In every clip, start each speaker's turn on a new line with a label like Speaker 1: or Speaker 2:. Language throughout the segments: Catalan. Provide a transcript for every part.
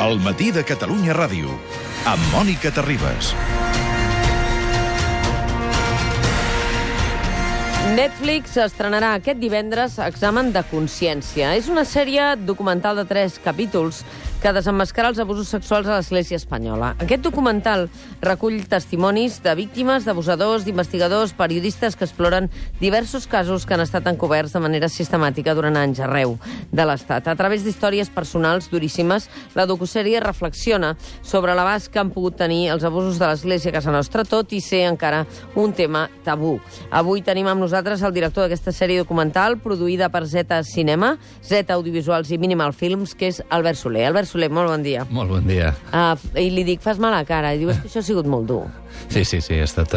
Speaker 1: El matí de Catalunya Ràdio, amb Mònica Terribas.
Speaker 2: Netflix estrenarà aquest divendres Examen de consciència. És una sèrie documental de 3 capítols que desemmascara els abusos sexuals a l'Església espanyola. Aquest documental recull testimonis de víctimes, d'abusadors, d'investigadors, periodistes que exploren diversos casos que han estat encoberts de manera sistemàtica durant anys arreu de l'Estat. A través d'històries personals duríssimes, la docusèrie reflexiona sobre l'abast que han pogut tenir els abusos de l'Església a casa nostra, tot i ser encara un tema tabú. Avui tenim amb nosaltres el director d'aquesta sèrie documental, produïda per Zeta Cinema, Zeta Audiovisuals i Minimal Films, que és Albert Soler. Albert Soler, molt bon dia.
Speaker 3: Molt bon dia.
Speaker 2: I li dic, fas mala cara, i diu, és que això ha sigut molt dur.
Speaker 3: Sí, ha estat...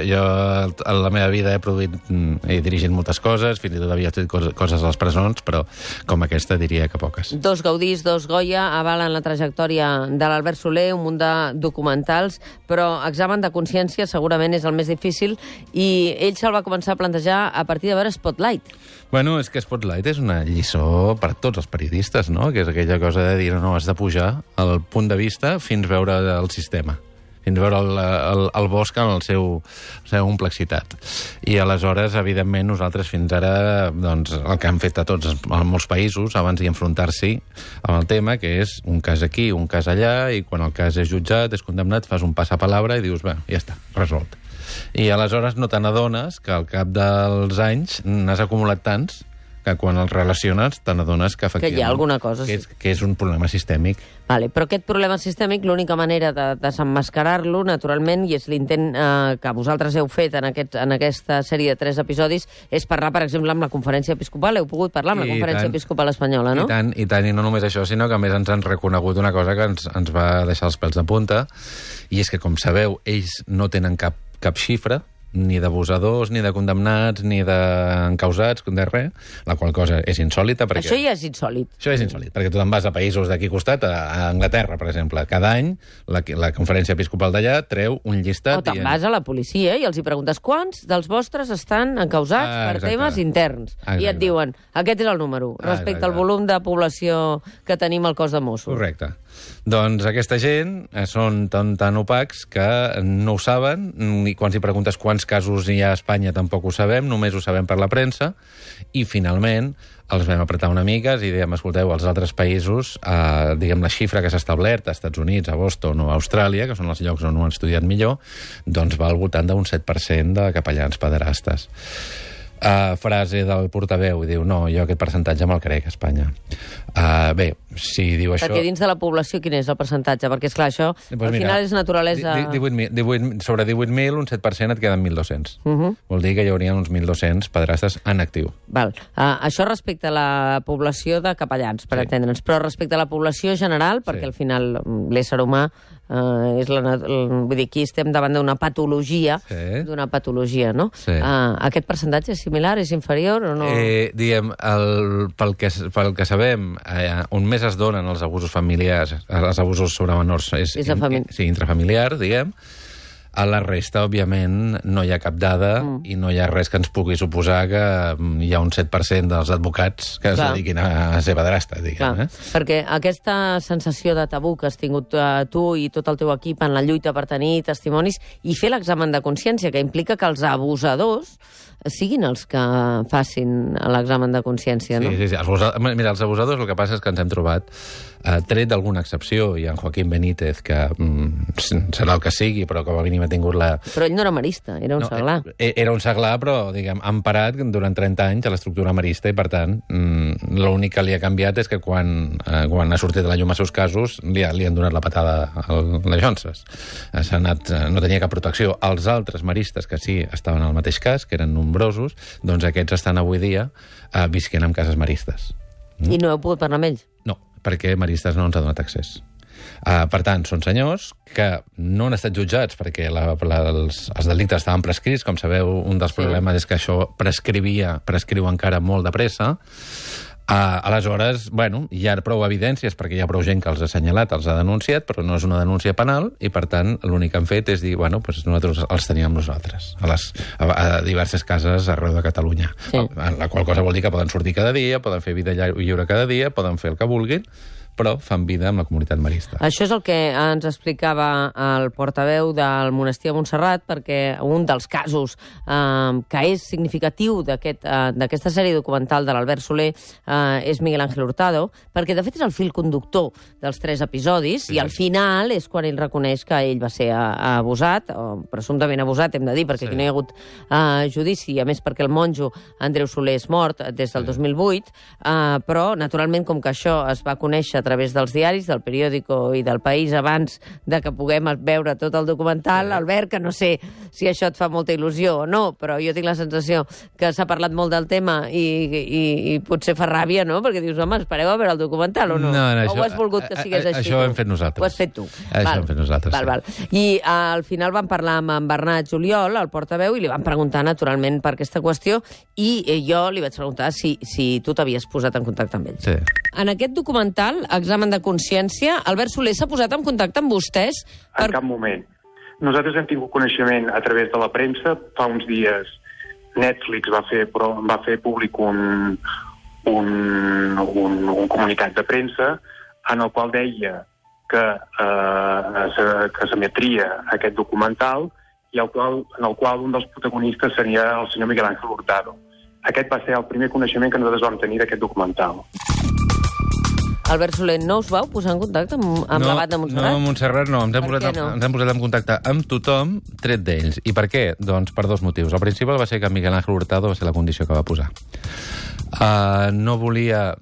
Speaker 3: Jo a la meva vida he dirigit moltes coses, fins i tot havia fet coses a les presons, però com aquesta diria que poques.
Speaker 2: 2 Gaudís, 2 Goya avalen la trajectòria de l'Albert Soler, un munt de documentals, però Examen de consciència segurament és el més difícil, i ell se'l va començar a plantejar a partir de veure Spotlight.
Speaker 3: Bueno, és que Spotlight és una lliçó per a tots els periodistes, no? Que és aquella cosa de dir, no, has de pujar al punt de vista fins veure el sistema, fins veure el bosc en la seva complexitat. I aleshores, evidentment, nosaltres fins ara, doncs, el que han fet a tots, a molts països, abans d'enfrontar-s'hi amb el tema, que és un cas aquí, un cas allà, i quan el cas és jutjat, és condemnat, fas un passapalabra i dius, bé, ja està, resolt. I aleshores no te n'adones que al cap dels anys n'has acumulat tants que quan els relaciones te n'adones que efectivament...
Speaker 2: Que hi ha alguna cosa.
Speaker 3: Que és un problema sistèmic.
Speaker 2: Vale, però aquest problema sistèmic, l'única manera de desemmascarar-lo, naturalment, i és l'intent que vosaltres heu fet en aquesta sèrie de 3 episodis, és parlar, per exemple, amb la Conferència Episcopal. Heu pogut parlar amb la Conferència Episcopal espanyola, no?
Speaker 3: I tant, i no només això, sinó que a més ens han reconegut una cosa que ens va deixar els pèls de punta, i és que, com sabeu, ells no tenen cap xifra, ni d'abusadors, ni de condemnats, ni d'encausats, de res, la qual cosa és insòlita. Perquè...
Speaker 2: Això ja és insòlit.
Speaker 3: Això és insòlit, perquè tu te'n vas a països d'aquí costat, a Anglaterra, per exemple. Cada any la Conferència Episcopal d'allà treu un llistat...
Speaker 2: O te'n vas a la policia i els hi preguntes quants dels vostres estan encausats per temes interns. Exacte. I et diuen, aquest és el número, respecte al volum de població que tenim al cos de Mossos.
Speaker 3: Correcte. Doncs aquesta gent són tan opacs que no ho saben, i quan s'hi preguntes quants casos hi ha a Espanya tampoc ho sabem, només ho sabem per la premsa, i finalment els vam apretar una mica i dèiem, escolteu, als altres països, diguem, la xifra que s'ha establert, a Estats Units, a Boston o a Austràlia, que són els llocs on ho han estudiat millor, doncs va al voltant d'un 7% de capellans pederastes. Frase del portaveu, i diu, no, jo aquest percentatge me'l crec a Espanya. Bé, si diu això...
Speaker 2: Perquè dins de la població quin és el percentatge? Perquè, esclar, això al final és naturalesa...
Speaker 3: Sobre 18.000, un 7% et queden 1.200. Vol dir que hi hauria uns 1.200 pederastes en actiu.
Speaker 2: Val. Això respecte a la població de capellans, per entendre'ns. Però respecte a la població general, perquè al final l'ésser humà vull dir, aquí estem davant d'una patologia, no?
Speaker 3: Sí.
Speaker 2: Aquest percentatge és similar, és inferior o no?
Speaker 3: Diguem, pel que sabem, on més es donen els abusos familiars, els abusos sobre menors, és intrafamiliar, diguem. A la resta, òbviament, no hi ha cap dada i no hi ha res que ens pugui suposar que hi ha un 7% dels advocats que es dediquin a ser pederastes, diguem.
Speaker 2: Perquè aquesta sensació de tabú que has tingut tu i tot el teu equip en la lluita per tenir testimonis i fer l'examen de consciència, que implica que els abusadors siguin els que facin l'examen de consciència, no?
Speaker 3: Sí. Mira, els abusadors el que passa és que ens hem trobat, tret d'alguna excepció, i en Joaquín Benítez, que serà el que sigui, però com a mínim ha tingut la...
Speaker 2: Però ell no era marista, era un seglar.
Speaker 3: Era un seglar, però, diguem, emparat durant 30 anys a l'estructura marista, i per tant, l'únic que li ha canviat és que quan ha sortit de la llum a seus casos, li han donat la patada a les jonces. No tenia cap protecció. Els altres maristes que sí estaven al mateix cas, que eren nombrosos, doncs aquests estan avui dia visquent en cases maristes.
Speaker 2: I no heu pogut parlar amb ells?
Speaker 3: No, perquè maristes no ens ha donat accés. Per tant, són senyors que no han estat jutjats perquè els delictes estaven prescrits. Com sabeu, un dels problemes és que això prescriu encara molt de pressa. Aleshores, bueno, hi ha prou evidències perquè hi ha prou gent que els ha assenyalat, els ha denunciat, però no és una denúncia penal i, per tant, l'únic que han fet és dir, bueno, doncs nosaltres els teníem nosaltres, a diverses cases arreu de Catalunya. Sí. La qual cosa vol dir que poden sortir cada dia, poden fer vida lliure cada dia, poden fer el que vulguin, però fan vida amb la comunitat marista.
Speaker 2: Això és el que ens explicava el portaveu del monestir de Montserrat, perquè un dels casos que és significatiu d'aquesta sèrie documental de l'Albert Soler és Miguel Ángel Hurtado, perquè de fet és el fil conductor dels 3 episodis, i al final és quan ell reconeix que ell va ser abusat, o presumptament abusat, hem de dir, perquè aquí no hi ha hagut judici, a més perquè el monjo Andreu Soler és mort des del 2008, però, naturalment, com que això es va conèixer a través dels diaris, del periòdico i del País abans de que puguem veure tot el documental, Albert, que no sé si això et fa molta il·lusió o no, però jo tinc la sensació que s'ha parlat molt del tema i potser fa ràbia, no? Perquè dius, home, espereu a veure el documental o no? O ho has volgut que sigués així?
Speaker 3: Això ho hem fet nosaltres.
Speaker 2: Ho has fet tu.
Speaker 3: Això ho hem fet nosaltres,
Speaker 2: val. I al final vam parlar amb en Bernat Juliol, el portaveu, i li vam preguntar, naturalment, per aquesta qüestió, i jo li vaig preguntar si tu t'havies posat en contacte amb ell.
Speaker 3: Sí.
Speaker 2: En aquest documental, Examen de consciència, Albert Soler s'ha posat en contacte amb vostès?
Speaker 4: En cap moment. Nosaltres hem tingut coneixement a través de la premsa. Fa uns dies Netflix va fer públic un comunicat de premsa en el qual deia que s'emetria aquest documental i en el qual un dels protagonistes seria el senyor Miguel Ángel Hurtado. Aquest va ser el primer coneixement que nosaltres vam tenir d'aquest documental.
Speaker 2: Albert Soler, no us vau posar en contacte amb l'Abat de Montserrat?
Speaker 3: No, Montserrat no. Ens hem posat en contacte amb tothom, tret d'ells. I per què? Doncs per 2 motius. El principal va ser que Miguel Ángel Hurtado va ser la condició que va posar. No volia...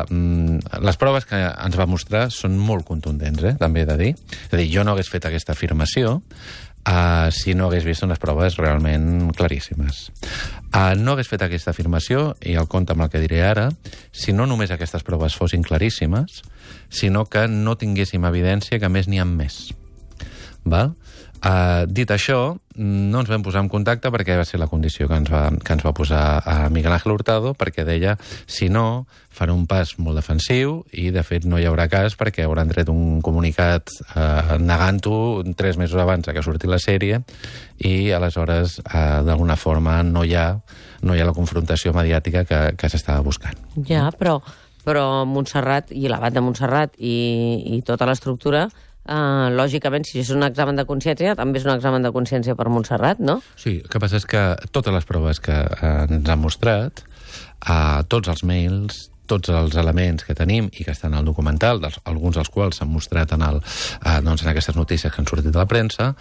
Speaker 3: Les proves que ens va mostrar són molt contundents, també he de dir. És a dir, jo no hagués fet aquesta afirmació si no hagués vist unes proves realment claríssimes. No hagués fet aquesta afirmació, i el compte amb el que diré ara, si no només aquestes proves fossin claríssimes, sinó que no tinguéssim evidència que més n'hi ha més. Val? Dit això, no ens vam posar en contacte perquè va ser la condició que ens va posar a Miguel Ángel Hurtado, perquè deia, si no, farà un pas molt defensiu i, de fet, no hi haurà cas perquè hauran tret un comunicat negant-ho 3 mesos abans que surti la sèrie i, aleshores, d'alguna forma, no hi ha la confrontació mediàtica que s'estava buscant.
Speaker 2: Ja, però Montserrat i l'Abat de Montserrat i tota l'estructura... lògicament, si és un examen de consciència, també és un examen de consciència per Montserrat, no?
Speaker 3: Sí, el que passa és que totes les proves que ens han mostrat, tots els mails, tots els elements que tenim i que estan al documental, alguns dels quals s'han mostrat en aquestes notícies que han sortit de la premsa,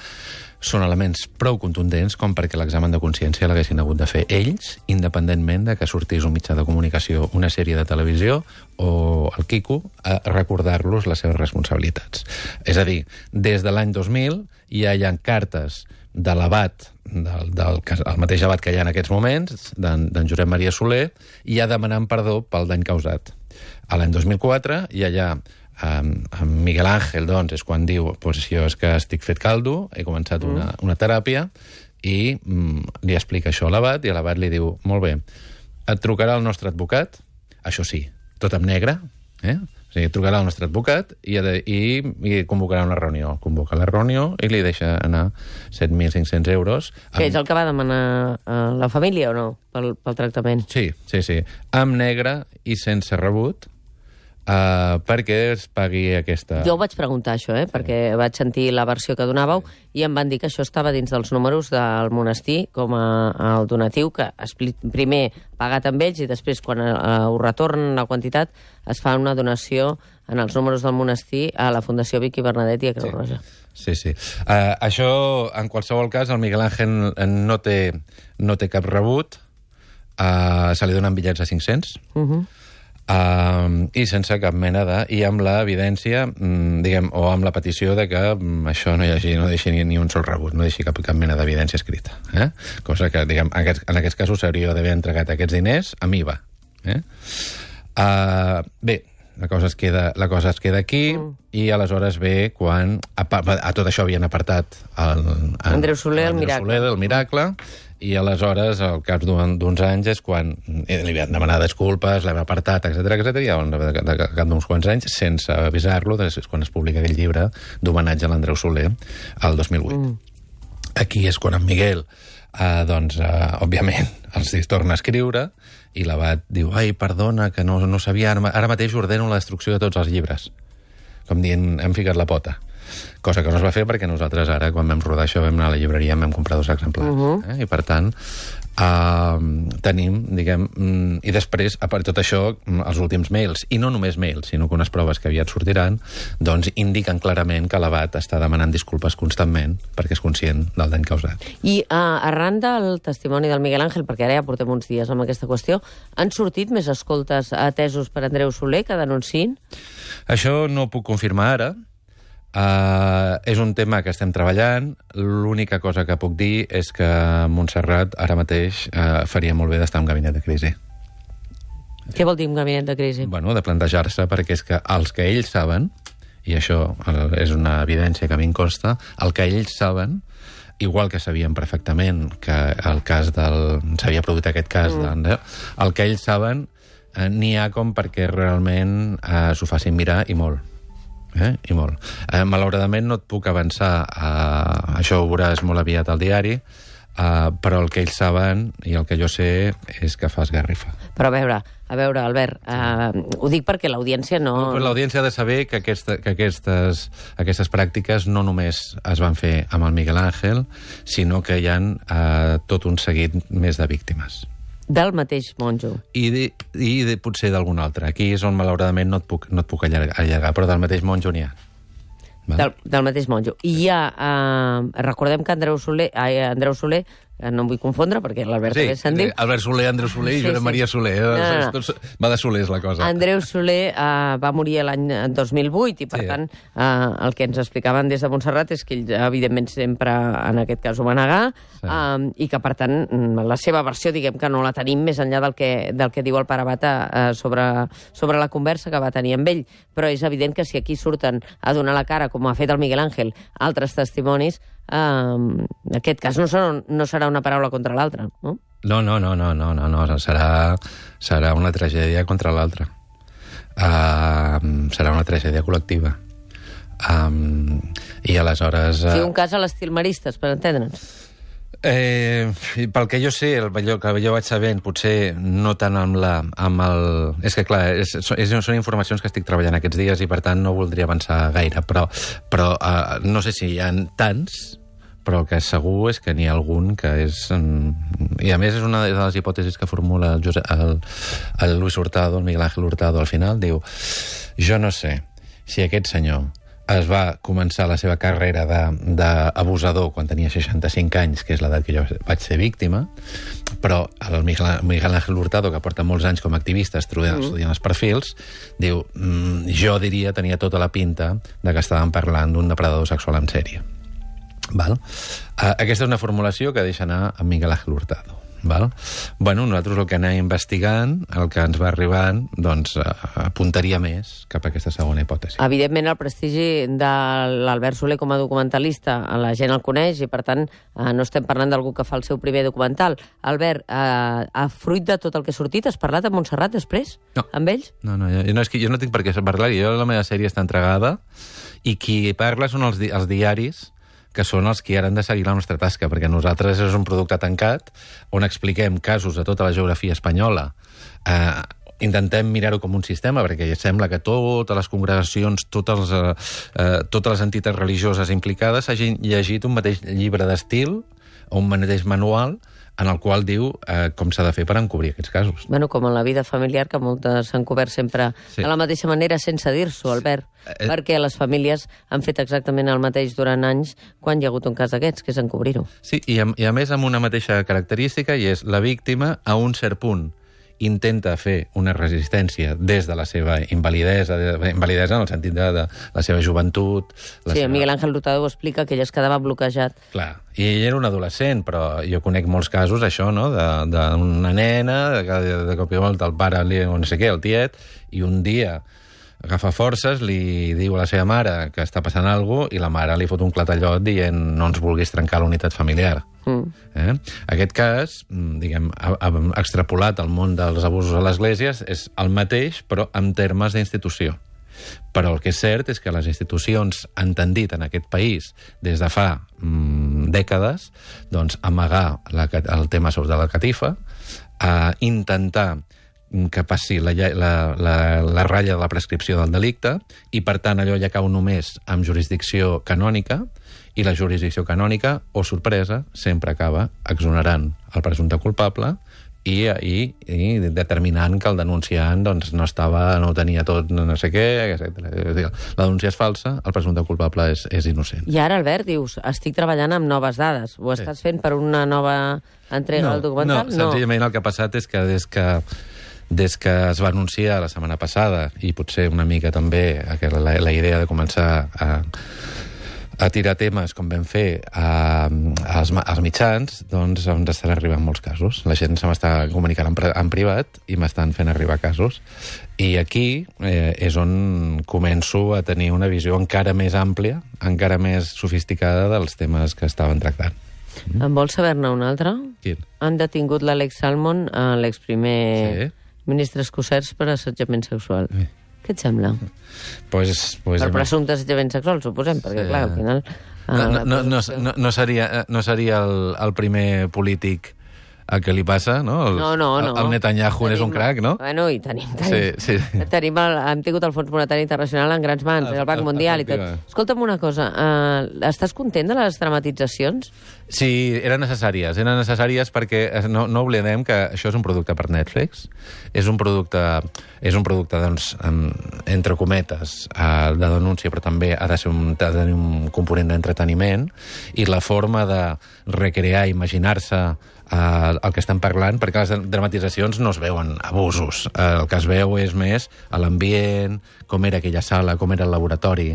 Speaker 3: són elements prou contundents com perquè l'examen de consciència l'haguessin hagut de fer ells, independentment de que sortís un mitjà de comunicació, una sèrie de televisió o el Quico, a recordar-los les seves responsabilitats. És a dir, des de l'any 2000 ja hi ha cartes de l'Abat, el mateix Abat que hi ha en aquests moments, d'en Josep Maria Soler, ja demanant perdó pel dany causat. A l'any 2004 ja hi ha Miguel Ángel, doncs, és quan diu jo és que estic fet caldo, he començat una teràpia, i li explica això a l'Abat, i l'Abat li diu, molt bé, et trucarà el nostre advocat, això sí, tot en negre, o sigui, trucarà el nostre advocat i convocarà una reunió. Convoca la reunió i li deixa anar 7.500 euros.
Speaker 2: Que és el que va demanar la família, o no?, pel tractament.
Speaker 3: Sí, amb negre i sense rebut, perquè es pagui aquesta...
Speaker 2: Jo ho vaig preguntar, això, perquè vaig sentir la versió que donàveu i em van dir que això estava dins dels números del monestir com el donatiu, que primer pagat amb ells i després, quan ho retornen la quantitat, es fa una donació en els números del monestir a la Fundació Vicky Bernadet i a Creu Roja.
Speaker 3: Sí. Això, en qualsevol cas, el Miguel Ángel no té cap rebut, se li donen bitllets de 500, i sense cap mena i amb l'evidència, diguem, o amb la petició de que això no deixi ni un sol rebut, no deixi cap mena d'evidència escrita. Cosa que, diguem, en aquests casos s'hauria d'haver entregat aquests diners amb IVA. Bé, la cosa es queda aquí, i aleshores ve quan a tot això havien apartat
Speaker 2: Andreu Soler,
Speaker 3: el Miracle, i aleshores, al cap d'uns anys, és quan li van demanar disculpes, l'hem apartat, etc. I al cap d'uns quants anys, sense avisar-lo, és quan es publica aquell llibre d'homenatge a l'Andreu Soler, el 2008. Aquí és quan en Miguel òbviament, els torna a escriure i l'abat diu, ai, perdona, que no sabia, ara mateix ordeno la destrucció de tots els llibres. Com dient, hem ficat la pota. Cosa que no es va fer perquè nosaltres ara, quan vam rodar això, vam anar a la llibreria i vam comprar 2 exemplars. I per tant, tenim, diguem... I després, a part de tot això, els últims mails, i no només mails, sinó que unes proves que aviat sortiran, doncs indiquen clarament que l'abat està demanant disculpes constantment perquè és conscient del dany causat.
Speaker 2: I arran del testimoni del Miguel Ángel, perquè ara ja portem uns dies amb aquesta qüestió, han sortit més escoltes atesos per Andreu Soler que denunciïn?
Speaker 3: Això no ho puc confirmar ara. És un tema que estem treballant. L'única cosa que puc dir és que Montserrat ara mateix faria molt bé d'estar en un gabinet de crisi.
Speaker 2: Què vol dir un gabinet de crisi?
Speaker 3: Bueno, de plantejar-se, perquè és que els que ells saben, i això és una evidència que a mi em consta, el que ells saben, igual que sabien perfectament que el cas s'havia produït aquest cas d'Andreu, el que ells saben n'hi ha com perquè realment s'ho facin mirar i molt. I molt. Malauradament no et puc avançar, això ho veuràs molt aviat al diari, però el que ells saben i el que jo sé és que fa esgarrifa.
Speaker 2: Però a veure, Albert, ho dic perquè l'audiència no...
Speaker 3: L'audiència ha de saber que aquestes pràctiques no només es van fer amb el Miguel Ángel, sinó que hi ha tot un seguit més de víctimes.
Speaker 2: Del mateix monjo.
Speaker 3: I potser d'algun altre. Aquí és on, malauradament, no et puc allargar, però del mateix monjo n'hi ha.
Speaker 2: Del mateix monjo. I hi ha... recordem que Andreu Soler, no em vull confondre, perquè l'Albert també se'n diu...
Speaker 3: Albert Soler, Andreu Soler i Josep Maria Soler. Va de Solers, la cosa.
Speaker 2: Andreu Soler va morir l'any 2008 i, per tant, el que ens explicaven des de Montserrat és que ell, evidentment, sempre, en aquest cas, ho va negar i que, per tant, la seva versió, diguem que no la tenim més enllà del que diu el pare Bata sobre la conversa que va tenir amb ell. Però és evident que si aquí surten a donar la cara, com ha fet el Miguel Ángel, altres testimonis, aquest cas no serà una paraula contra l'altra, no?
Speaker 3: No. Serà una tragèdia contra l'altra. Serà una tragèdia col·lectiva. I aleshores...
Speaker 2: Sí, un cas a l'estil Maristes, per entendre'ns.
Speaker 3: Pel que jo sé, allò que jo vaig sabent, potser no tant amb el... És que, clar, són informacions que estic treballant aquests dies i, per tant, no voldria avançar gaire, però no sé si hi ha tants, però el que és segur és que n'hi ha algun que és... I, a més, és una de les hipòtesis que formula el Luis Hurtado, el Miguel Ángel Hurtado, al final, diu, jo no sé si aquest senyor es va començar la seva carrera d'abusador quan tenia 65 anys, que és l'edat que jo vaig ser víctima, però el Miguel Ángel Hurtado, que porta molts anys com a activista estudiant els perfils, diu, jo diria, tenia tota la pinta de que estàvem parlant d'un depredador sexual en sèrie. Val? Aquesta és una formulació que deixa anar a Miguel Ángel Hurtado. Val? Bueno, nosaltres el que anem investigant, el que ens va arribant, doncs apuntaria més cap a aquesta segona hipòtesi.
Speaker 2: Evidentment, el prestigi de l'Albert Soler com a documentalista, la gent el coneix i, per tant, no estem parlant d'algú que fa el seu primer documental. Albert, a fruit de tot el que ha sortit, has parlat amb Montserrat després?
Speaker 3: No.
Speaker 2: Amb ells?
Speaker 3: No, és que jo no tinc per què parlar-hi. La meva sèrie està entregada i qui parla són els diaris, que són els que ara han de seguir la nostra tasca, perquè nosaltres és un producte tancat on expliquem casos de tota la geografia espanyola. Intentem mirar-ho com un sistema, perquè sembla que totes les congregacions, totes les entitats religioses implicades hagin llegit un mateix llibre d'estil o un mateix manual en el qual diu com s'ha de fer per encobrir aquests casos.
Speaker 2: Bueno, com en la vida familiar, que moltes s'han cobert sempre de la mateixa manera, sense dir-s'ho, Albert, perquè les famílies han fet exactament el mateix durant anys quan hi ha hagut un cas d'aquests, que és encobrir-ho.
Speaker 3: Sí, i a més amb una mateixa característica, i és la víctima, a un cert punt, intenta fer una resistència des de la seva invalidesa en el sentit de la seva joventut...
Speaker 2: Sí, Miguel Ángel Hurtado ho explica, que ell es quedava bloquejat.
Speaker 3: Clar, i ell era un adolescent, però jo conec molts casos, això, no?, d'una nena, de cop i volta el pare, o no sé què, el tiet, i un dia agafa forces, li diu a la seva mare que està passant alguna cosa i la mare li fot un clatallot dient no ens vulguis trencar la unitat familiar. Aquest cas, diguem, extrapolat al món dels abusos a l'església, és el mateix, però en termes d'institució. Però el que és cert és que les institucions han tendit en aquest país des de fa dècades, doncs, amagar el tema sobre la catifa, intentar que passi la ratlla de la prescripció del delicte i, per tant, allò ja cau només amb jurisdicció canònica i la jurisdicció canònica, o sorpresa, sempre acaba exonerant el presumpte culpable i determinant que el denunciant doncs, no tenia tot, no sé què, etc. La denúncia és falsa, el presumpte culpable és innocent.
Speaker 2: I ara, Albert, dius, estic treballant amb noves dades. Ho estàs fent per una nova entrega del documental?
Speaker 3: No, senzillament el que ha passat és que des que es va anunciar la setmana passada, i potser una mica també la idea de començar a tirar temes, com vam fer als mitjans, doncs ens estan arribant molts casos. La gent se m'està comunicant en privat i m'estan fent arribar casos. I aquí és on començo a tenir una visió encara més àmplia, encara més sofisticada dels temes que estaven tractant.
Speaker 2: En vols saber-ne un altre?
Speaker 3: Quin?
Speaker 2: Han detingut l'Alex Salmond, l'exprimer ministre escocès, per assetjament sexual.
Speaker 3: Sí.
Speaker 2: Què et sembla? Per presumpte assetjament sexual, suposem, perquè, clar, al final...
Speaker 3: No seria el primer polític a què li passa, no? El Netanyahu és un crac, no?
Speaker 2: Bueno, i tenim.
Speaker 3: Sí.
Speaker 2: Hem tingut el Fons Monetari Internacional en grans mans, el Banc Mundial i tot. Escolta'm una cosa, estàs content de les dramatitzacions?
Speaker 3: Sí, eren necessàries perquè no oblidem que això és un producte per Netflix, és un producte doncs, entre cometes, de denúncia, però també ha de tenir un component d'entreteniment, i la forma de recrear, imaginar-se el que estan parlant, perquè les dramatitzacions no es veuen abusos. El que es veu és més l'ambient, com era aquella sala, com era el laboratori.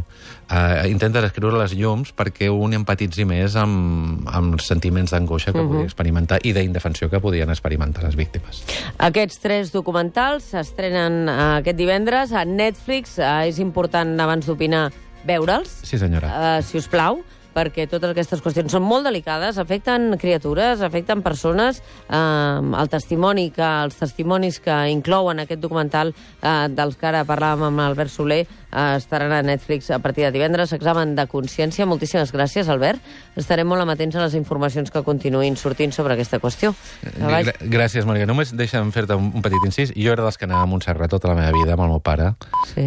Speaker 3: Intenta descriure les llums perquè un empatitzi més amb els sentiments d'angoixa que podia experimentar i d'indefensió que podien experimentar les víctimes.
Speaker 2: Aquests 3 documentals s'estrenen aquest divendres a Netflix. És important, abans d'opinar, veure'ls.
Speaker 3: Sí, senyora.
Speaker 2: Si us plau, perquè totes aquestes qüestions són molt delicades, afecten criatures, afecten persones. Els testimonis que inclouen aquest documental, dels que ara parlàvem amb Albert Soler, estaran a Netflix a partir de divendres. Examen de consciència. Moltíssimes gràcies, Albert. Estarem molt amatents a les informacions que continuïn sortint sobre aquesta qüestió.
Speaker 3: Gràcies, Maria. Només deixa'm fer-te un petit incís. Jo era dels que anava a Montserrat tota la meva vida amb el meu pare,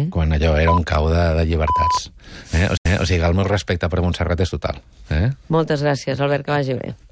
Speaker 3: quan allò era un cau de llibertats. O sigui, el meu respecte per Montserrat és total.
Speaker 2: Moltes gràcies, Albert, que vagi bé.